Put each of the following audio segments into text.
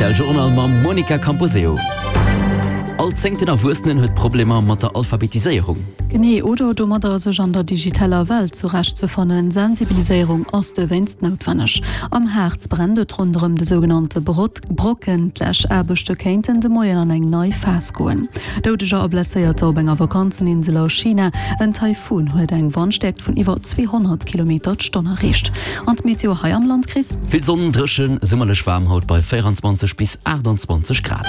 Rtl Journal mam Monica Camposeo. All zéngten Erwuessenen huet Problemer mat der Alphabetiséierung. Genee, oder domadder sech an der digitaler Welt zurecht ze fannen. Sensibiliséierung ass dowéinst noutwenneg. Am Haarz brennt et ronderëm de sougenannte Brocken. D'Läschaarbechte kéinten de Moien an eng nei Phas goen. Doudeger a Blesséierter op enger Vakanzeninsel a China. En Taifun huet eng Wandstäerkt vun iwwer 200 Kilometer d'Stonn erreecht. An d'Meteo hei am Land, Chris? Vill Sonn, dréchen, summerlech waarm haut bei 24 bis 28 Grad.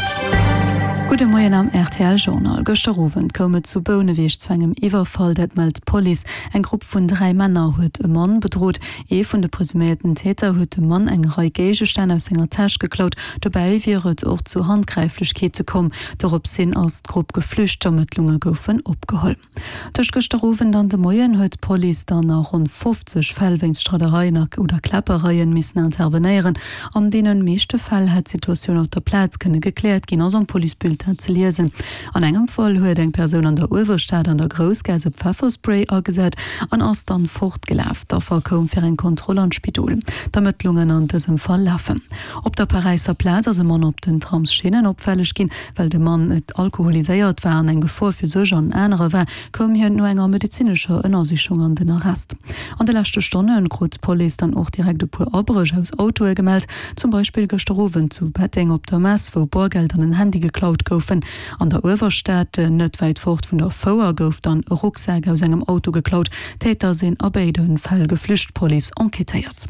Gudde Moien am rtl Journal. Gëschter Owend koum et zu Bouneweg zu engem Iwwerfall, dat mellt d'Police. Eng Grupp vun 3 Männer huet e Mann bedrot. Ee vun de presuméierten Täter huet dem Mann eng Rei Géigestänn aus senger Täsch geklaut. Dobäi wier et och zu Handgräiflechkeete komm. Dorops hin ass d'Grupp geflücht, d'Ermëttlunge goufen opgeholl. Tëscht gëschter Owend an de Moien huet d'Police dann a ronn 50 Fäll wéinst Streidereien a oder Kläppereien missen intervenéieren. An deene meeschte Fäll hätt d'Situatioun op der Plaz kënne gekläert ginn, ass am Policebulletin ze liesen. An engem Fall huet eng Persoun an der Uewerstad an der Groussgaass e Pfefferspray agesat an ass dann fortgelaf. D'Affer koum fir eng Kontroll an d'Spidol. D'Ermëttlungen an dësem Fall lafen. Op der Paräisser Plaz ass e Mann op den Tramsschinnen opfälleg ginn. Well de Mann alkoholiséiert war an eng Gefor fir sech an anerer war, koum hien no enger medezinescher Ënnersichung an den Arrest. An de leschte Stonne krut d'Police dann och direkt e puer Abréch aus Autoe gemellt, zum Beispill gëschter Owend zu Betteng op der Mess, wou Boergeld an en Handy geklaut goufen. An der Uewerstad, net wäit fort vun der Fouer, gouf dann e Rucksak aus engem Auto geklaut. D'Täter sinn a béide Fäll geflücht, d'Police enquêtéiert.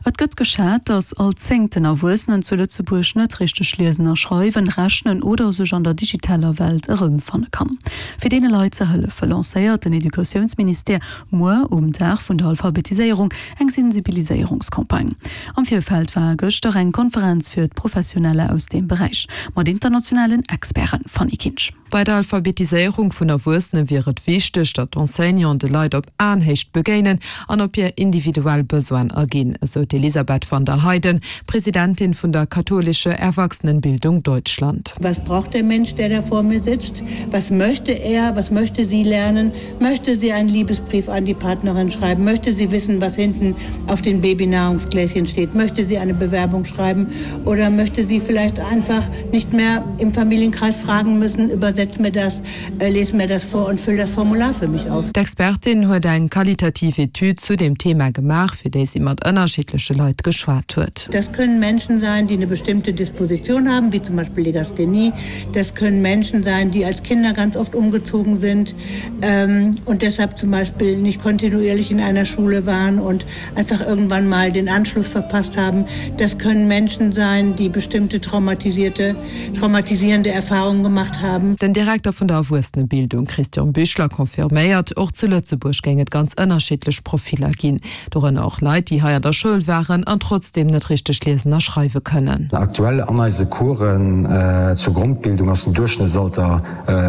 Et gëtt geschat, datt all zéngten Erwuessenen zu Lëtzebuerg net richteg liesen a schreiwen, rechnen oder sech an der digitaler Welt erëmfanne kann. Fir deene Leit ze hëllefe lancéiert den Educatiounsministère muer um Dag vun der Alphabetiséierung eng Sensibiliséierungscampagne. Am Virfeld war gëschter eng Konferenz fir d'Professioneller aus deem Beräich mat internationalen Experten. Fanny Kinsch. Bei der Alphabetiséierung vun Erwuessene wier et wichteg, datt d'Enseignanten de Leit op Aenhéicht begéinen an op hir individuell Besoinen aginn, esou d'Elisabeth van der Heyden, Presidentin vun der Katholische Erwachsenenbildung Deutschland. Was braucht der Mensch, der da vor mir sitzt? Was möchte er, was möchte sie lernen? Möchte sie einen Liebesbrief an die Partnerin schreiben? Möchte sie wissen, was hinten auf den Babynahrungsgläschen steht? Möchte sie eine Bewerbung schreiben? Oder möchte sie vielleicht einfach nicht mehr im Familienkreis fragen müssen, übersetz mir das, äh, les mir das vor und füll das Formular für mich aus? D'Expertin huet eng qualitativ Etüd zu dem Thema gemaach, fir déi si mat ënnerschiddleche Leit geschwat huet. Das können Menschen sein, die eine bestimmte Disposition haben, wie zum Beispiel Legasthenie. Das können Menschen sein, die als Kinder ganz oft umgezogen sind ähm, und deshalb zum Beispiel nicht kontinuierlich in einer Schule waren und einfach irgendwann mal den Anschluss verpasst haben. Das können Menschen sein, die bestimmte traumatisierte, traumatisierende Erfahrungen gemacht haben. Den Direkter vun der Erwuessenebildung Christian Büchler confirméiert, och zu Lëtzebuerg géing et ganz ënnerschiddlech Profiller ginn. Dorënner och Leit, déi hei an der Schoul waren an trotzdeem net richteg liesen a schreiwe kënnen. Aktuell an eise Coursen zur Grondbildung ass den Duerchschnëttsalter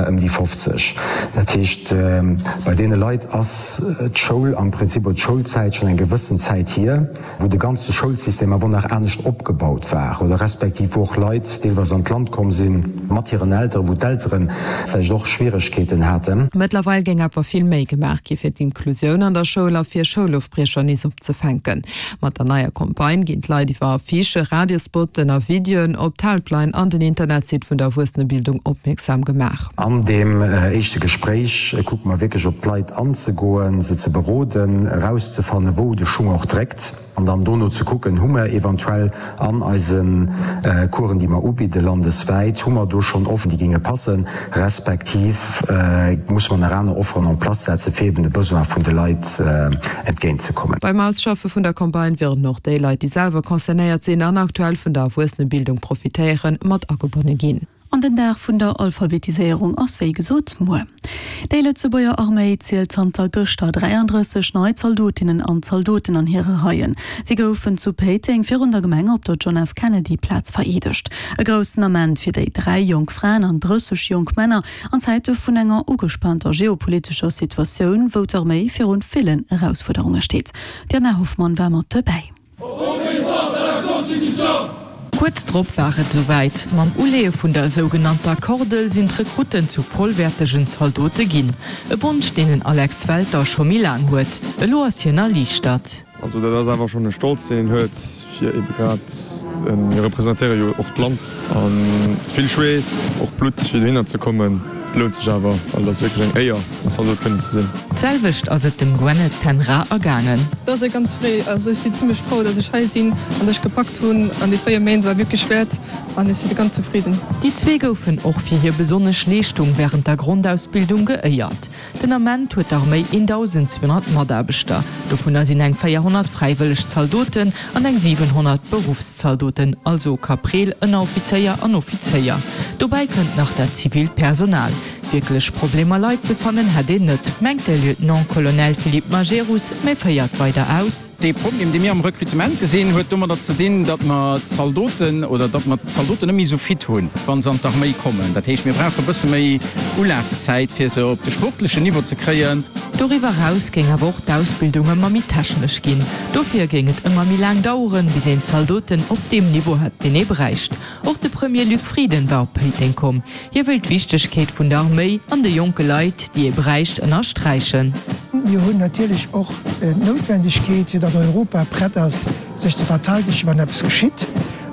ëm déi 50. Dat heescht, bei deene Leit ass d'Schoul am Prinzip oder d'Schoulzäit schonn eng gewëssen Zäit hier, wou de ganze Schoulsystem awer nach anescht opgebaut war oder respektiv wou och Leit deelweis an d'Land komm si mat hiren Elteren, wou d'Eltere vläicht och Schwieregkeeten haten. Mëttlerweil géing awer vill méi gemaach gi fir d'Inklusioun an der Schoul a fir Schoulofbriecher nees opzefänken. Mat der neier Campagne ginn d'Leit iwwer Affichen, Radiospotten a Videoen op d'Helpline an den Internetsite vun der Erwuessenebildung opmierksam gemaach. An deem éischte Gespréich kucke mer wierklech op d'Leit anzegoen, se ze beroden, erauszefannen, wou de Schung och dréckt an dann dono ze kucken, hu mer eventuell an eise Coursen, déi mer ubidde landeswäit, hu mer do schonn Offeren, déi géinge passen, respektiv musse mer nach aner Offeren en place setzen, fir eben de Besoin vun de Leit entgéintzekommen. Beim Ausschaffe vun der Campagne wieren och déi Leit, déi selwer concernéiert sinn an aktuell vun der Erwuessenebildung profitéieren, mat agebonne ginn. An den Dag vun der Alphabetiséierung ass wéi gesot muer. Déi Lëtzebuerger Arméi zielt zanter gëschter 33 nei Zaldotinnen an Zaldoten an hire Reien. Si goufen zu Péiteng virun der Gemeng op der John F. Kennedy Plaz vereedegt. E groussen Ament fir déi 3 jonk Fraen an 30 jonk Männer an Zäite vun enger ugespaanter geopolitescher Situatioun, wou d'Arméi virun villen Erausfuerderunge steet. D'Diana Hoffmann war mat dobäi. Kuerz drop war et esouwäit, Mam Uleeë vun der sougenannter Kordel sinn d'Rekrutten zu vollwäertegen Zaldote ginn. E Wonsch, deen den Alex Welter scho méi laang huet. Elo ass hien erliichtert. Also dat ass awer schonn e Stolz, deen een huet, fir ebe grad, mir representéiere jo och d'Land. A vill Schweess, och Blutt, fir dohinner ze kommen, et lount sech awer, well et ass wierklech eng Éier, en Zaldot kënnen ze sinn. D'selwecht ass et dem Gwenneth Ten Raa ergaangen. Et ass e ganz fréi, also ech sinn zimmlech frou, dass ech hei sinn an dass ech gepackt hunn an déi 4 Méint war wierklech wäert an ech si ganz zefridden. Déi zwee goufen och fir hir besonnesch Leeschtung wärend der Grondausbildung geéiert. Den Ament huet d'Arméi 1.200 Mataarbechter, dovunner sinn eng 400 fräiwëlleg Zaldoten an eng 700 Beruffszaldoten, also Kapreel, Ënneroffizéier an Offizéier. Dobäi kënnt nach dat zivilt Personal. Wierklech Problemer Leit ze fannen hätt een net, mengt de Lieutenant-Colonel Philippe Majerus, mä féiert weider aus. Dee Problem, dee mir am Recrutement gesinn, huet domadder ze dinn, datt mer d'Zaldoten oder datt mer d'Zaldoten net méi esou fit hunn, wa se an d'Arméi kommen. Dat heescht, mir brauche e bësse méi Ulafzäit, fir se op de sportlechen Niveau ze kréien. Doriwwer eraus géing awer och d'Ausbildung ëmmer méi technesch ginn. Dofir géing et ëmmer méi laang daueren, bis een d'Zaldoten op deem Niveau hätt, deen ee bräicht. Och de Premier Luc Frieden war op Péiteng komm. Hie wëll d'Wichtegkeet vun der Arméi an de jonke Leit, déi ee bräicht, ënnersträichen. Mir hunn natierlech och d'Noutwendegkeet, fir datt Europa prett ass, sech ze verteidegen, wann eppes geschitt.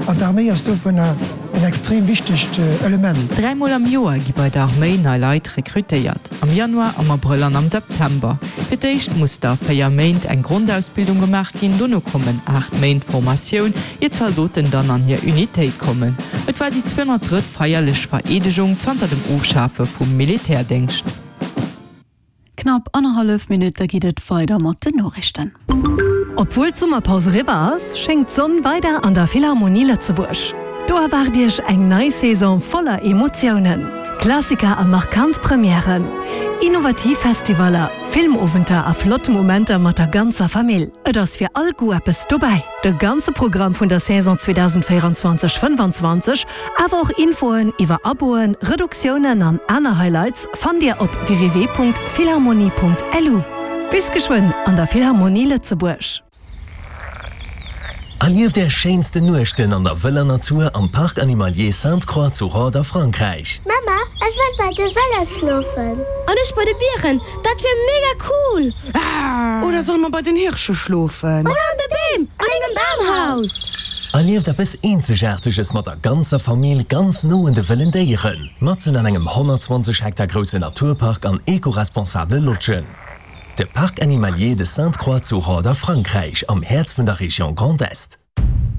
An d'Arméi ass dovunner en extrem wichtegt Element. Dräimol am Joer gi bei der Arméi nei Leit rekrutéiert, am Januar, am Abrëll an am September. Fir d'éischt muss da 4 Méint eng Grondausbildung gemaach ginn, dono kommen 8 Méint Formatioun, ier d'Zaldoten dann an hir Unitéit kommen. Et war déi 203. Feierlech Vereedegung zanter dem Ofschafe vum Militärdéngscht. Knapp annerhallef Minutt, da geet et weider mat den Noriichten. Obwuel d'Summerpaus eriwwer ass, schéngt d'Sonn weider an der Philharmonie Lëtzebuerg. Do erwaart Iech eng nei Saison voller Emotiounen, Klassiker a markant Premièren, innovativ Festivaller, Filmowenter a flott Momenter mat der ganzer Famill. Et ass fir all Goût eppes dobäi. De ganze Programm vun der Saison 2024, 25, awer och Infoen iwwer Aboen, Reduktiounen an aner Highlights fannt Dir op www.philharmonie.lu. Bis geschwënn an der Philharmonie Lëtzebuerg! Erlieft är schéinsten Nuechten an der wëller Natur am Parc Animalier Sainte-Croix zu Rhodes a Frankräich. Mama, ech wëll bei de Wëllef schlofen. An ech bei de Bieren, dat wier mega cool! Oder solle mer bei den Hirsche schlofen? Oder an de Beem, an engem Bamhaus! Erlieft eppes Eenzegaarteges mat der ganzer Famill ganz no un de wëllen Déieren, matzen an engem 120 Hektar groussen Naturpark an eco-responsabele Lodgen. De Parc Animalier de Sainte-Croix zu Rhodes a Frankräich, am Häerz vun der Région Grand Est.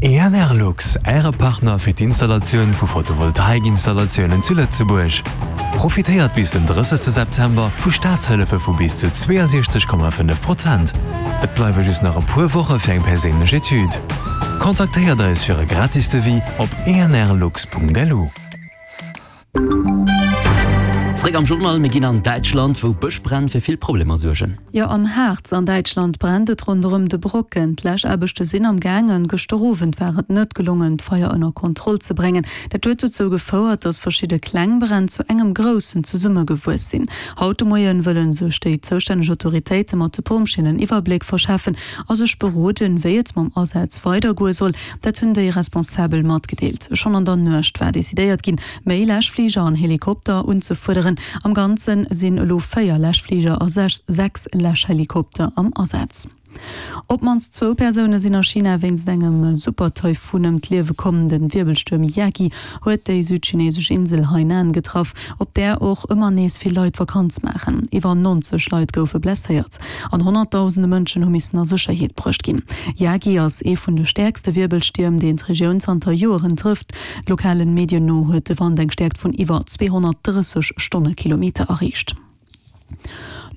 ENERLUX, Äre Partner fir d'Installatioun vu Photovoltaikinstallatiounen zu Lëtzebuerg. Profitéiert bis den 30 September vu Staatshëllefe vu bis zu 62,5 Prozent. Et bleiwe just nach e puer Woche fir eng perséinlech Etüd. Kontaktéiert eis fir e gratis Devis op enerlux.lu. Zréck am Journal, mir ginn an Däitschland, wou Bëschbränn fir vill Problemer suergen. Jo, am Harz an Däitschland brennt et ronderëm de Brocken. D'Läschaarbechte sinn am gaangen. Gëschter Owend war et net gelongen, d'Feier ënner Kontroll ze bréngen. Dat huet dozou gefouert, datt verschidde kleng Bränn zu engem groussen zesummegewuess sinn. Haut de Moien wëlle sech déi zoustänneg Autoritéite mat de Pompjeeën en Iwwerbléck verschafen a sech beroden, wéi et mam Asaz weidergoe soll. Dat hunn déi Responsabel matgedeelt. Schonn an der Nuecht war decidéiert ginn, méi Läschfliger an Helikopter unzefuerderen. Am Ganze sinn elo 4 Läschfliger a 6 Läschhelikopter am Asaz. Op d'mannst zwou Persoune sinn a China wéinst engem Super-Taifun ëm d'Liewe komm. De Wierbelstuerm Yagi huet déi südchinesesch Insel Hainan getraff, op där och ëmmer nees vill Leit Vakanz maachen. Iwwer 90 Leit goufe blesséiert an honnertdausende Mënschen hu missen a Sécherheet bruecht ginn. Yagi ass ee vun de stäerkste Wierbelstierm, deen d'Regioun zanter Joeren trëfft. Lokalen Medien no huet de Wand eng Stäerkt vun iwwer 230 Stonnekilometer erreecht.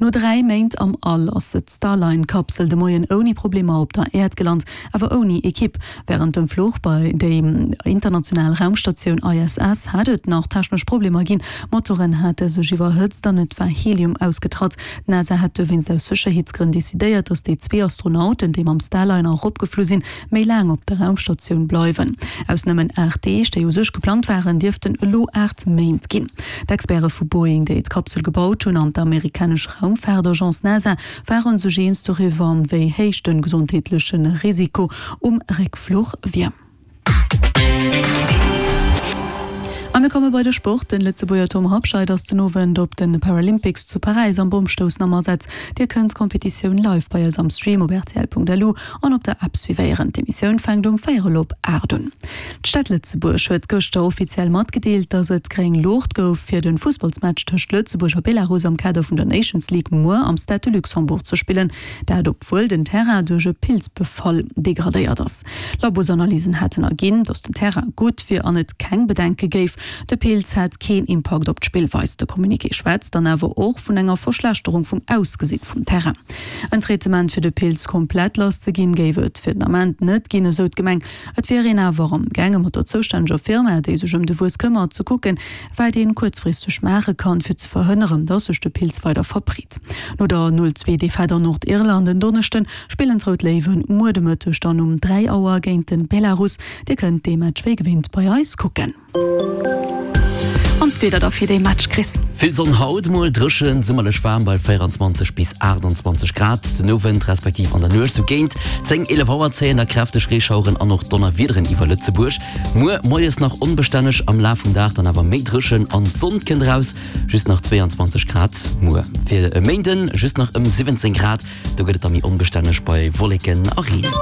No 3 Méint am All ass d'Starline-Kapsel de Moien ouni Problemer op der Äerd gelant, awer ouni Ekipp. Wärend dem Fluch bei déi international Raumstatioun ISS hat et nach technesch Problemer ginn. Motoren hate sech iwwerhëtzt an et war Helium ausgetratt. D'NASA hat dowéinst aus Sécherheetsgrënn decidéiert, datt déi zwee Astronauten, déi mam Starliner eropgeflu sinn, méi laang op der Raumstatioun bleiwen. Aus nëmmen 8 Deeg, déi u sech geplangt waren, dierften elo 8 Méint ginn. D'Experte vu Boeing, déi d'Kapsel gebaut hunn, an d'amerikanesch Raumfaartagence NASA ware sech eens doriwwer, wéi héich de gesondheetleche Risiko um Réckfluch wier. A mir komme bei de Sport. Den Lëtzebuerger Tom Habscheid ass den Owend op de Paralympics zu Paräis am Bommstoussen am Asaz. Dir kënnt d'Kompetitioun live bei eis am Stream op rtl.lu an op der App suivéieren. D'Emissioun fänkt um véierel op 8 un. D'Stad Lëtzebuerg huet gëschter offiziell matgedeelt, datt et gréng Luucht gouf, fir de Fussballsmatch tëscht Lëtzebuerg a Belarus am Kader vun der Nations League muer am Stade de Luxembourg ze spillen. Dat obwuel den Terrain duerch e Pilzbefall degradéiert ass. Labosanalysen haten erginn, datt den Terrain gutt wier an et keng Bedenke géif. De Pilz hätt keen Impakt op d'Spillweis. De Communiqué schwätzt dann awer och vun enger Verschlechterung vum Ausgesinn vum Terrain. En Traitement fir de Pilz komplett lass ze ginn, géif et fir den Ament net ginn, esou d'Gemeng. Et wier een awer am gaange mat der zoustänneger Firma, déi sech ëm de Wuess këmmert, ze kucken, wat een kuerzfristeg maache kann, fir ze verhënneren, datt sech de Pilz weider verbreet. No der 0, 2 Defaite an Nordirland en Donneschden, spillen d'Rout Léiwen muer de Mëtteg dann um 3 Auer géint de Belarus. Dir kënnt dee Match wéi gewinnt bei eis kucken. An d'Wieder da fir dee Match, Chris? Vill Sonn haut, mol dréchen, summerlech waarm bei 24 bis 28 Grad. Den Owend respektiv an der Nuecht sou géint 10, 11 Auer zéien da kräfteg Reeschaueren an och Donnerwiederen iwwer Lëtzebuerg. Muer moies nach onbestänneg, am Laf vum Dag dann awer méi dréchen an d'Sonn kënnt eraus. Just nach 22 Grad muer. Fir e Méinden just nach ëm 17 Grad, do gëtt et da méi onbestänneg bei Wolleken a Reen.